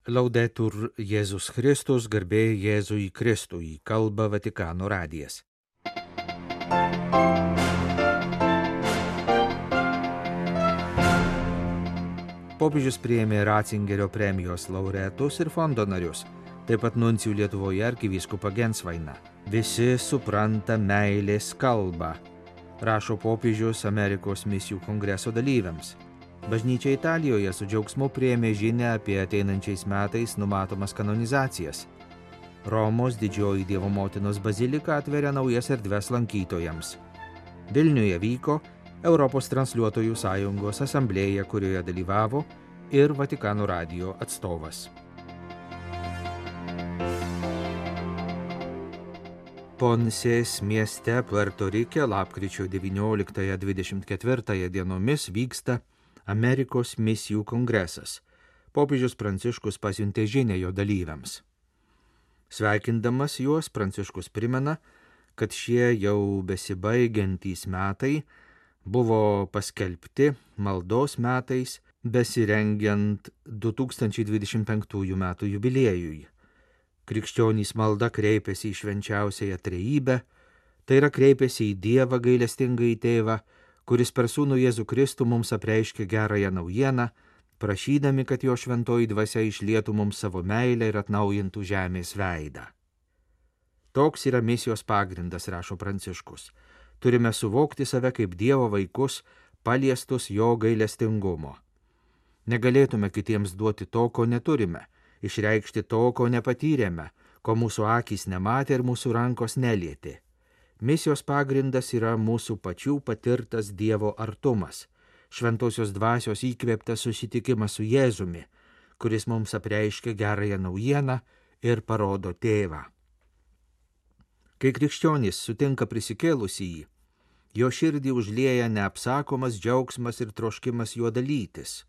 Laudetur Jėzus Kristus, garbė Jėzui Kristui, kalba Vatikano radijas. Popiežius priėmė Ratzingerio premijos laureatus ir fondo narius, taip pat nuncijų Lietuvoje arkivyskupą Gensvainą. Visi supranta meilės kalbą, rašo popiežius Amerikos misijų kongreso dalyviams. Bažnyčia Italijoje su džiaugsmu priėmė žinią apie ateinančiais metais numatomas kanonizacijas. Romos Didžioji Dievo Motinos bazilika atveria naujas erdves lankytojams. Vilniuje vyko Europos transliuotojų sąjungos asamblėja, kurioje dalyvavo ir Vatikano radijo atstovas. Ponsės mieste Puerto Rike lapkričio 19-24 dienomis vyksta Amerikos misijų kongresas. Popiežius Pranciškus pasiuntė žinią jo dalyviams. Sveikindamas juos, Pranciškus primena, kad šie jau besibaigiantys metai buvo paskelbti maldos metais, besirengiant 2025 metų jubiliejui. Krikščionys malda kreipiasi į švenčiausiąją trejybę, tai yra kreipiasi į Dievą gailestingąjį Tėvą, kuris per Sūnų Jėzų Kristų mums apreiškė gerąją naujieną, prašydami, kad jo šventoji dvasia išlietų mums savo meilę ir atnaujintų žemės veidą. Toks yra misijos pagrindas, rašo Pranciškus. Turime suvokti save kaip Dievo vaikus, paliestus jo gailestingumo. Negalėtume kitiems duoti to, ko neturime, išreikšti to, ko nepatyrėme, ko mūsų akys nematė ir mūsų rankos nelietė. Misijos pagrindas yra mūsų pačių patirtas Dievo artumas, šventosios dvasios įkvėptas susitikimas su Jėzumi, kuris mums apreiškia gerąją naujieną ir parodo Tėvą. Kai krikščionys sutinka prisikėlusįjį, jo širdį užlieja neapsakomas džiaugsmas ir troškimas juo dalytis,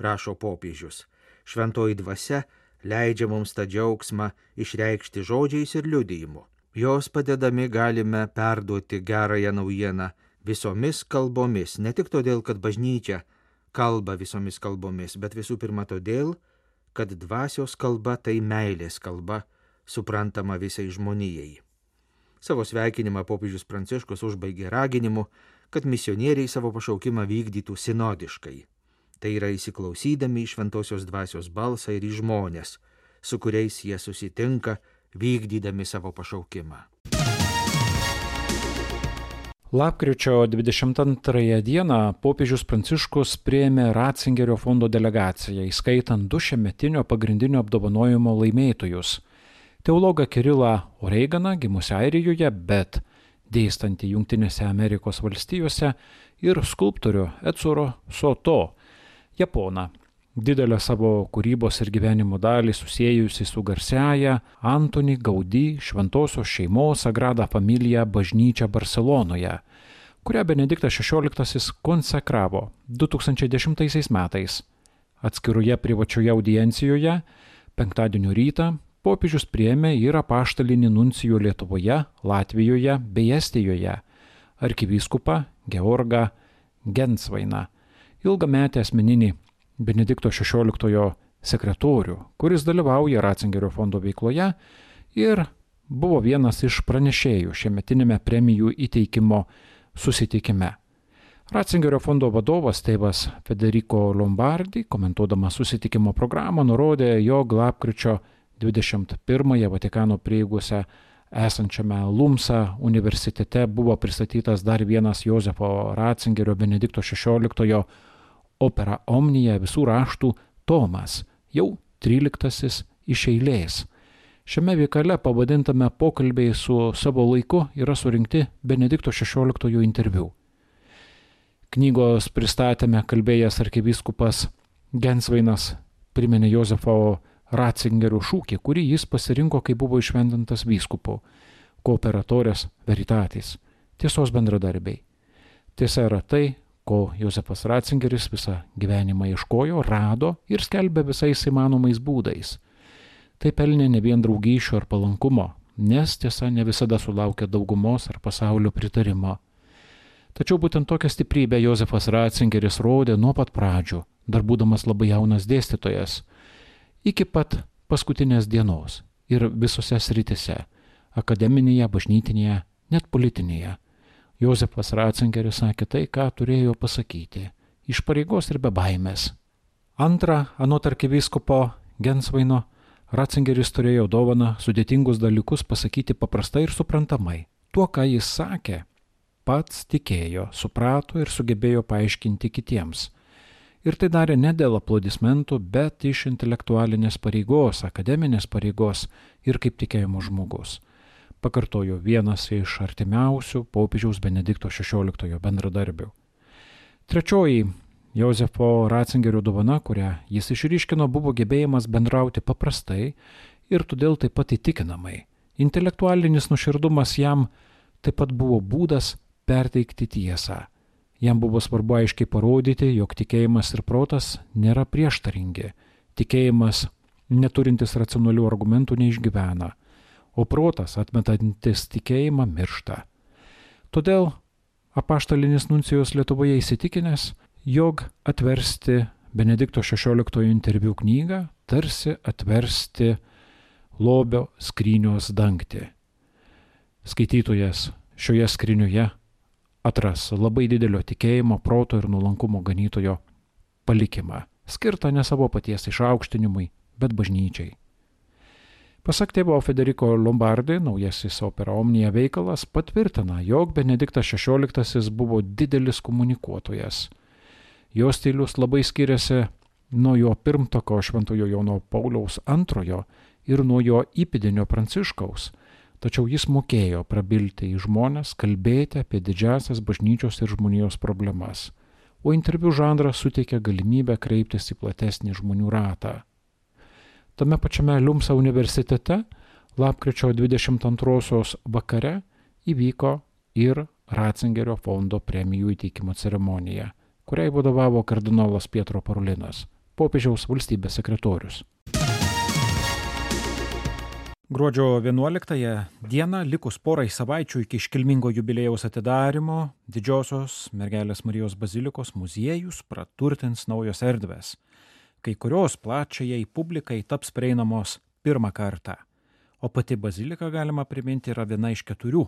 rašo popiežius. Šventoji dvasia leidžia mums tą džiaugsmą išreikšti žodžiais ir liudijimu. Jos padedami galime perduoti gerąją naujieną visomis kalbomis, ne tik todėl, kad bažnyčia kalba visomis kalbomis, bet visų pirma todėl, kad dvasios kalba tai meilės kalba, suprantama visai žmonijai. Savo sveikinimą popiežius Pranciškus užbaigė raginimu, kad misionieriai savo pašaukimą vykdytų sinodiškai. Tai yra įsiklausydami į šventosios dvasios balsą ir į žmonės, su kuriais jie susitinka, vykdydami savo pašaukimą. Lapkričio 22 dieną popiežius Pranciškus priėmė Ratzingerio fondo delegaciją, įskaitant 2 šiemetinio pagrindinio apdovanojimo laimėtojus. Teologą Kirilą Oreiganą, gimusį Airijoje, bet dėstantį Jungtinėse Amerikos valstijose, ir skulptorių Etsuro Soto, Japoną. Didelę savo kūrybos ir gyvenimo dalį susiejusi su garsiaja Antoni Gaudí šventosios šeimos Sagrada Familia bažnyčia Barselonoje, kurią Benediktas XVI konsekravo 2010 metais. Atskiroje privačioje audiencijoje penktadienio rytą popiežius priėmė ir apaštalinį nuncijų Lietuvoje, Latvijoje bei Estijoje arkivyskupą Georgą Gensvainą, ilgametį asmeninį Benedikto XVI sekretorių, kuris dalyvauja Ratzingerio fondo veikloje ir buvo vienas iš pranešėjų šiemetinėme premijų įteikimo susitikime. Ratzingerio fondo vadovas tėvas Federico Lombardi, komentuodamas susitikimo programą, nurodė, jog lapkričio 21 Vatikano prieigose esančiame Lumsa universitete buvo pristatytas dar vienas Jozefo Ratzingerio Benedikto XVI opera Omnija visų raštų tomas, jau 13 iš eilės. Šiame veikale pavadintame pokalbiai su savo laiku yra surinkti Benedikto XVI interviu. Knygos pristatyme kalbėjęs arkivyskupas Gensvainas priminė Jozefo Ratzingerio šūkį, kurį jis pasirinko, kai buvo įšventintas vyskupu – Cooperatorės veritatis, tiesos bendradarbiai. Tiesa yra tai, ko Jozefas Ratzingeris visą gyvenimą ieškojo, rado ir skelbė visais įmanomais būdais. Tai pelnė ne vien draugysčių ar palankumo, nes tiesa ne visada sulaukia daugumos ar pasaulio pritarimo. Tačiau būtent tokią stiprybę Jozefas Ratzingeris rodė nuo pat pradžių, dar būdamas labai jaunas dėstytojas. iki pat paskutinės dienos ir visose sritise – akademinėje, bažnytinėje, net politinėje. Jozefas Ratzingeris sakė tai, ką turėjo pasakyti, iš pareigos ir be baimės. Antra, anot arkivyskupo Gensvaino, Ratzingeris turėjo dovaną sudėtingus dalykus pasakyti paprastai ir suprantamai. Tuo, ką jis sakė, pats tikėjo, suprato ir sugebėjo paaiškinti kitiems. Ir tai darė ne dėl aplodismentų, bet iš intelektualinės pareigos, akademinės pareigos ir kaip tikėjimo žmogus. Pakartojo vienas iš artimiausių popiežiaus Benedikto XVI bendradarbių. Trečioji Jozefo Ratzingerio dovana, kurią jis išryškino, buvo gebėjimas bendrauti paprastai ir todėl taip pat įtikinamai. Intelektualinis nuoširdumas jam taip pat buvo būdas perteikti tiesą. Jam buvo svarbu aiškiai parodyti, jog tikėjimas ir protas nėra prieštaringi. Tikėjimas, neturintis racionalių argumentų, neišgyvena, o protas, atmetantis tikėjimą, miršta. Todėl apaštalinis nuncijus Lietuvoje įsitikinęs, jog atversti Benedikto XVI interviu knygą tarsi atversti lobio skrynios dangtį. Skaitytojas šioje skryniuje atras labai didelio tikėjimo, proto ir nuolankumo ganytojo palikimą, skirtą ne savo paties išaukštinimui, bet bažnyčiai. Pasak tėvo Federico Lombardi, naujasis Opera Omnia veikalas patvirtina, jog Benediktas XVI buvo didelis komunikuotojas. Jo stilius labai skiriasi nuo jo pirmtako Šventojo Jono Pauliaus II ir nuo jo įpėdinio Pranciškaus, tačiau jis mokėjo prabilti į žmones, kalbėti apie didžiąsias bažnyčios ir žmonijos problemas, o interviu žanras suteikia galimybę kreiptis į platesnį žmonių ratą. Tame pačiame Liumsa universitete lapkričio 22 vakare įvyko ir Ratzingerio fondo premijų įteikimo ceremonija, kuriai vadovavo kardinolas Pietro Parolinas, popiežiaus valstybės sekretorius. Gruodžio 11 dieną, likus porai savaičių iki iškilmingo jubiliejaus atidarymo, Didžiosios Mergelės Marijos bazilikos muziejus praturtins naujos erdvės. Kai kurios plačiajai publikai taps prieinamos pirmą kartą, o pati bazilika, galima priminti, yra viena iš 4,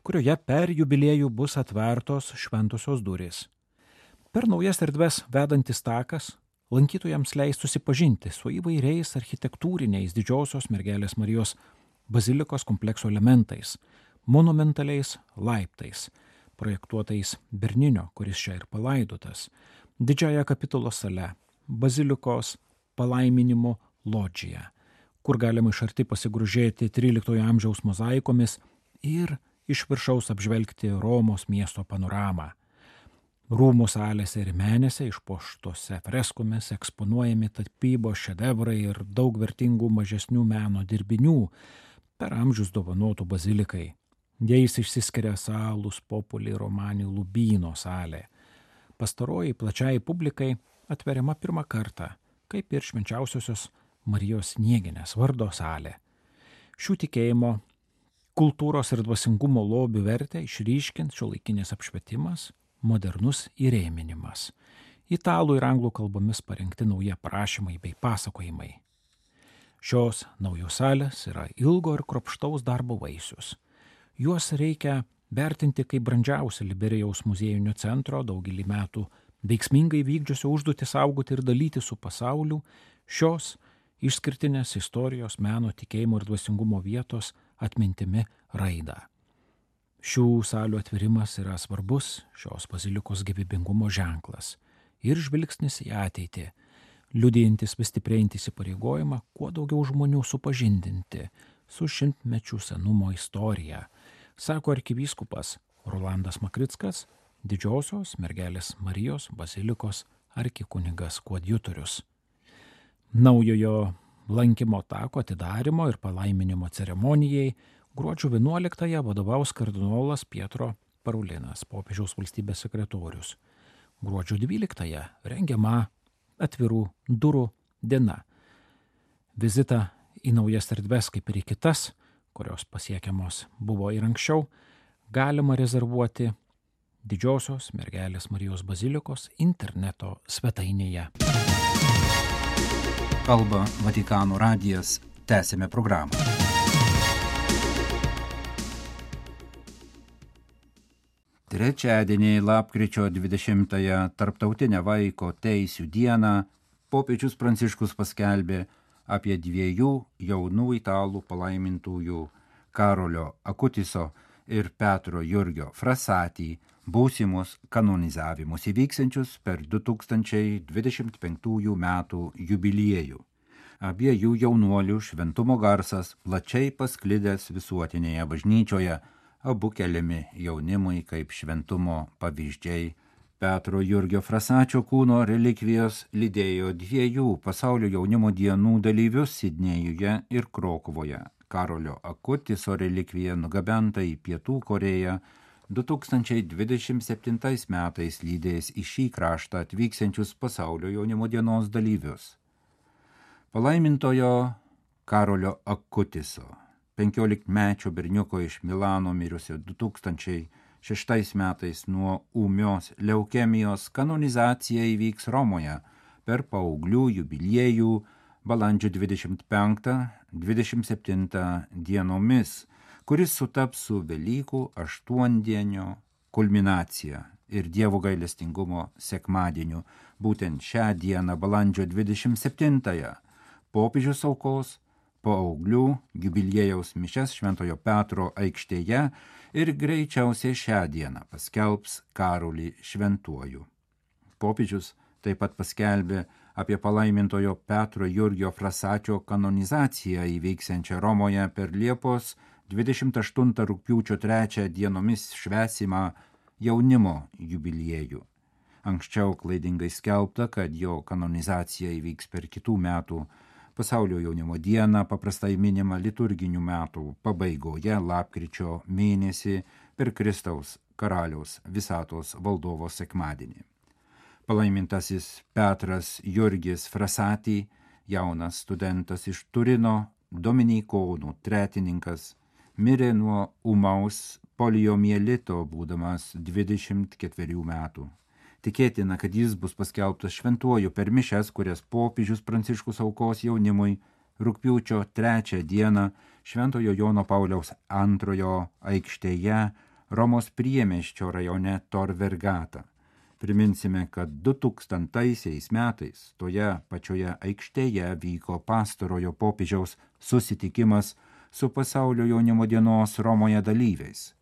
kurioje per jubiliejų bus atvertos šventosios durys. Per naujas erdves vedantis takas lankytojams leis susipažinti su įvairiais architektūriniais Didžiosios Mergelės Marijos bazilikos komplekso elementais, monumentaliais laiptais, projektuotais Berninio, kuris čia ir palaidotas, didžiąja kapitulos sale, bazilikos palaiminimo lodžija, kur galima iš arti pasigrožėti 13 amžiaus mozaikomis ir iš viršaus apžvelgti Romos miesto panoramą. Rūmų salėse ir menėse išpuoštose freskomis eksponuojami tapybos šedevrai ir daug vertingų mažesnių meno dirbinių per amžius dovanotų bazilikai. Jais išsiskiria Salus Populi Romani Lubino salė. Pastaroji plačiai publikai atveriama pirmą kartą, kaip ir švenčiausiosios Marijos Snieginės vardo salė. Šių tikėjimo, kultūros ir dvasingumo lobių vertę išryškins šiuolaikinis apšvietimas, modernus įrėminimas. Italų ir anglų kalbomis parengti nauji aprašymai bei pasakojimai. Šios naujos salės yra ilgo ir kruopštaus darbo vaisius. Juos reikia vertinti kaip brandžiausią Liberijaus muziejinio centro daugelį metų veiksmingai vykdžiusio užduotį saugoti ir dalyti su pasauliu šios išskirtinės istorijos, meno, tikėjimo ir dvasingumo vietos atmintimi raidą. Šių salių atvirimas yra svarbus šios bazilikos gyvybingumo ženklas ir žvilgsnis į ateitį, liudijantis vis stiprėjantį įsipareigojimą kuo daugiau žmonių supažindinti su šimtmečių senumo istorija, sako arkivyskupas Rolandas Makrickas, Didžiosios Mergelės Marijos bazilikos arkikunigas koadjutorius. Naujojo lankymo tako atidarymo ir palaiminimo ceremonijai gruodžio 11 vadovaus kardinolas Pietro Parolinas, popiežiaus valstybės sekretorius. Gruodžio 12 rengiama atvirų durų diena. Vizitą į naujas erdves, kaip ir į kitas, kurios pasiekiamos buvo ir anksčiau, galima rezervuoti Didžiosios Mergelės Marijos bazilikos interneto svetainėje. Kalba Vatikano radijas. Tęsime programą. Trečiadienį, lapkričio 20-ąją, Tarptautinę vaiko teisių dieną, popiežius Pranciškus paskelbė apie dviejų jaunų italų palaimintųjų Karolio Akutiso ir Petro Jurgio Frassati būsimus kanonizavimus įvyksiančius per 2025 metų jubiliejų. Abiejų jaunuolių šventumo garsas plačiai pasklidęs visuotinėje bažnyčioje, abu keliami jaunimui kaip šventumo pavyzdžiai. Petro Jurgio Frassačio kūno relikvijos lydėjo dviejų pasaulio jaunimo dienų dalyvius Sidnėjuje ir Krokuvoje. Karolio Akutiso relikvija nugabenta į Pietų Korėją 2027 metais lydės į šį kraštą atvyksiančius pasaulio jaunimo dienos dalyvius. Palaimintojo Karolio Akutiso, 15-mečio berniuko iš Milano mirusio 2006 metais nuo ūmios leukemijos, kanonizacija įvyks Romoje per paauglių jubiliejų balandžio 25-27 dienomis, kuris sutaps su Velykų aštuondienio kulminacija ir Dievo gailestingumo sekmadieniu. Būtent šią dieną, balandžio 27-ąją, popiežius aukos paauglių jubiliejaus mišias Šventojo Petro aikštėje ir greičiausiai šią dieną paskelbs Karolį šventuoju. Popiežius taip pat paskelbė apie palaimintojo Petro Jurgio Frassačio kanonizaciją įvyksiančią Romoje per Liepos 28 rugpjūčio 3 dienomis švęsimą jaunimo jubiliejų. Anksčiau klaidingai skelbta, kad jo kanonizacija įvyks per kitų metų pasaulio jaunimo dieną, paprastai minima liturginių metų pabaigoje lapkričio mėnesį per Kristaus karaliaus visatos valdovo sekmadienį. Palaimintasis Petras Jurgis Frassati, jaunas studentas iš Turino, dominikonų tretininkas, mirė nuo ūmaus poliomielito būdamas 24 metų. Tikėtina, kad jis bus paskelbtas šventuoju per mišias, kurias popiežius Pranciškus aukos jaunimui rugpjūčio 3 dieną Šventojo Jono Pauliaus II aikštėje Romos priemiesčio rajone Tor Vergata. Priminsime, kad 2000 metais toje pačioje aikštėje vyko pastarojo popiežiaus susitikimas su pasaulio jaunimo dienos Romoje dalyviais.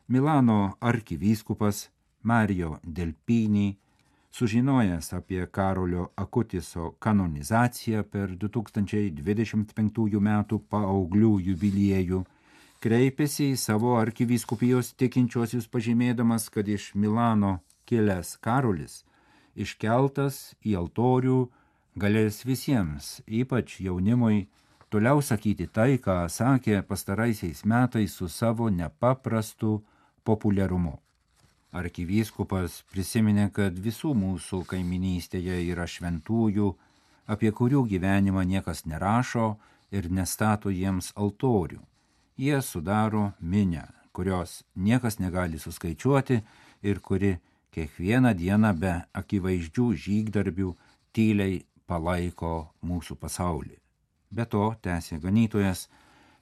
Milano arkivyskupas Mario Delpini, sužinojęs apie Karolio Akutiso kanonizaciją per 2025 metų paauglių jubiliejų, kreipėsi į savo arkivyskupijos tikinčiuosius pažymėdamas, kad iš Milano kilęs Karolis, iškeltas į altorių, galės visiems, ypač jaunimui, toliau sakyti tai, ką sakė pastaraisiais metais su savo nepaprastu populiarumu. Arkivyskupas prisiminė, kad visų mūsų kaiminystėje yra šventųjų, apie kurių gyvenimą niekas nerašo ir nestato jiems altorių. Jie sudaro minią, kurios niekas negali suskaičiuoti ir kuri kiekvieną dieną be akivaizdžių žygdarbių tyliai palaiko mūsų pasaulį. Be to, tęsė ganytojas,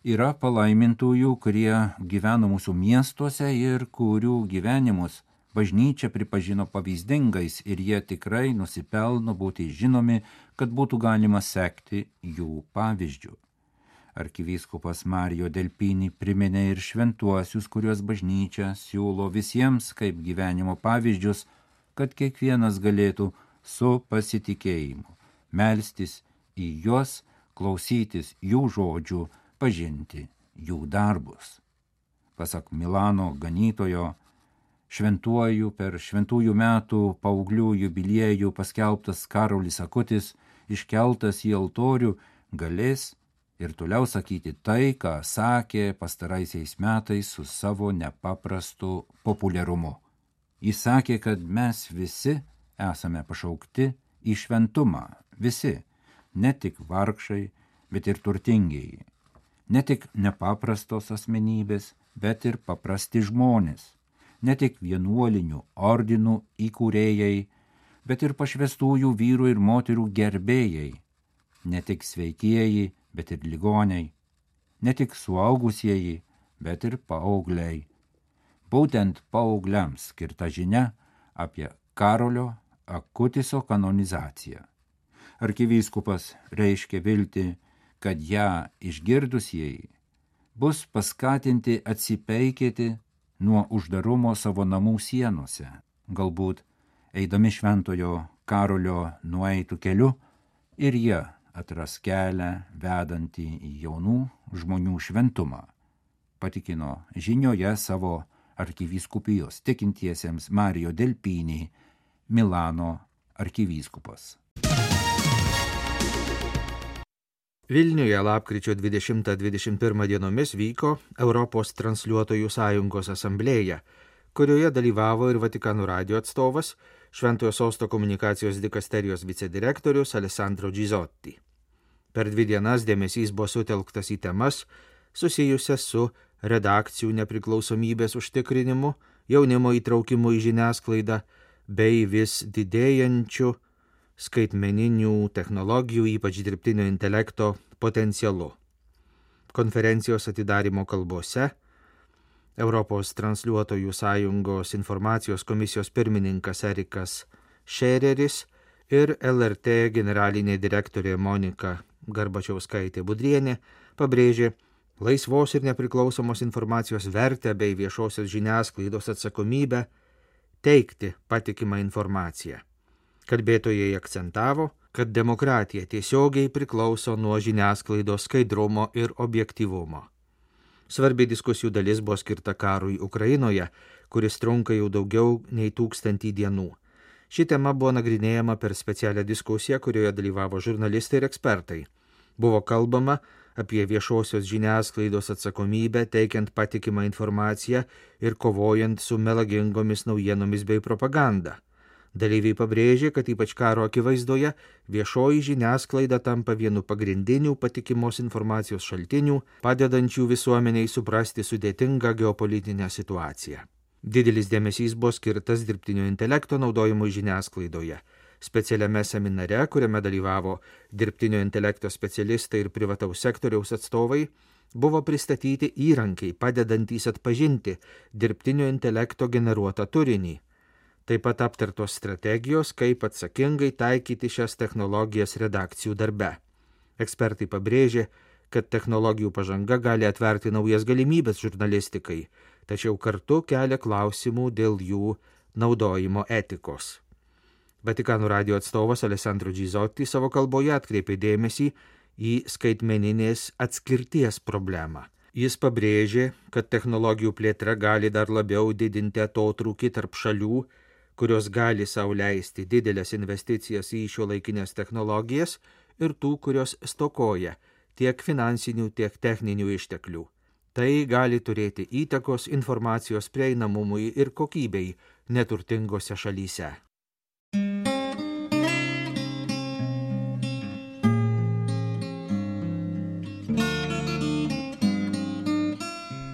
yra palaimintųjų, kurie gyvena mūsų miestuose ir kurių gyvenimus bažnyčia pripažino pavyzdingais ir jie tikrai nusipelno būti žinomi, kad būtų galima sekti jų pavyzdžių. Arkivyskupas Mario Delpini priminė ir šventuosius, kuriuos bažnyčia siūlo visiems kaip gyvenimo pavyzdžius, kad kiekvienas galėtų su pasitikėjimu melstis į juos, klausytis jų žodžių, pažinti jų darbus. Pasak Milano ganytojo, šventuoju per šventųjų metų paauglių jubiliejų paskelbtas Karolis Akutis, iškeltas į altorių, galės ir toliau sakyti tai, ką sakė pastaraisiais metais su savo nepaprastu populiarumu. Jis sakė, kad mes visi esame pašaukti į šventumą, visi, ne tik vargšai, bet ir turtingieji, ne tik nepaprastos asmenybės, bet ir paprasti žmonės, ne tik vienuolinių ordinų įkūrėjai, bet ir pašvestųjų vyrų ir moterų gerbėjai, ne tik sveikieji, bet ir ligoniai, ne tik suaugusieji, bet ir paaugliai. Būtent paaugliams skirta žinia apie Karolio Akutiso kanonizaciją. Arkivyskupas reiškia viltį, kad ją išgirdusieji bus paskatinti atsipeikėti nuo uždarumo savo namų sienose, galbūt eidami šventojo Karolio nueitų keliu ir jie atras kelią vedantį į jaunų žmonių šventumą, patikino žinioje savo arkivyskupijos tikintiesiems Mario Delpini, Milano arkivyskupas. Vilniuje lapkričio 20-21 dienomis vyko Europos transliuotojų sąjungos asamblėja, kurioje dalyvavo ir Vatikano radijo atstovas, Šventojo Sosto komunikacijos dikasterijos vicedirektorius Alessandro Gizotti. Per 2 dienas dėmesys buvo sutelktas į temas susijusias su redakcijų nepriklausomybės užtikrinimu, jaunimo įtraukimu į žiniasklaidą bei vis didėjančiu skaitmeninių technologijų, ypač dirbtinio intelekto potencialu. Konferencijos atidarymo kalbose Europos transliuotojų sąjungos informacijos komisijos pirmininkas Erikas Šereris ir LRT generalinė direktorė Monika Garbačiauskaitė-Budrienė pabrėžė laisvos ir nepriklausomos informacijos vertę bei viešosios žiniasklaidos atsakomybę teikti patikimą informaciją. Kalbėtojai akcentavo, kad demokratija tiesiogiai priklauso nuo žiniasklaidos skaidrumo ir objektyvumo. Svarbi diskusijų dalis buvo skirta karui Ukrainoje, kuris trunka jau daugiau nei 1000 dienų. Ši tema buvo nagrinėjama per specialią diskusiją, kurioje dalyvavo žurnalistai ir ekspertai. Buvo kalbama apie viešosios žiniasklaidos atsakomybę, teikiant patikimą informaciją ir kovojant su melagingomis naujienomis bei propaganda. Dalyviai pabrėžė, kad ypač karo akivaizdoje viešoji žiniasklaida tampa vienu pagrindinių patikimos informacijos šaltinių, padedančių visuomeniai suprasti sudėtingą geopolitinę situaciją. Didelis dėmesys buvo skirtas dirbtinio intelekto naudojimui žiniasklaidoje. Specialiame seminare, kuriame dalyvavo dirbtinio intelekto specialistai ir privataus sektoriaus atstovai, buvo pristatyti įrankiai, padedantys atpažinti dirbtinio intelekto generuotą turinį. Taip pat aptartos strategijos, kaip atsakingai taikyti šias technologijas redakcijų darbe. Ekspertai pabrėžė, kad technologijų pažanga gali atverti naujas galimybės žurnalistikai, tačiau kartu kelia klausimų dėl jų naudojimo etikos. Vatikano radijo atstovas Alessandro Gizotti savo kalboje atkreipė dėmesį į skaitmeninės atskirties problemą. Jis pabrėžė, kad technologijų plėtra gali dar labiau didinti atotrūkį tarp šalių, kurios gali sau leisti didelės investicijas į šiuolaikinės technologijas ir tų, kurios stokoja tiek finansinių, tiek techninių išteklių. Tai gali turėti įtakos informacijos prieinamumui ir kokybei neturtingose šalyse.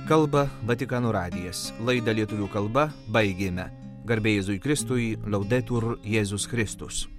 Kalba Vatikano radijas. Laidą lietuvių kalba baigėme. Garbė Jėzui Kristui, Laudetur Jėzus Kristus.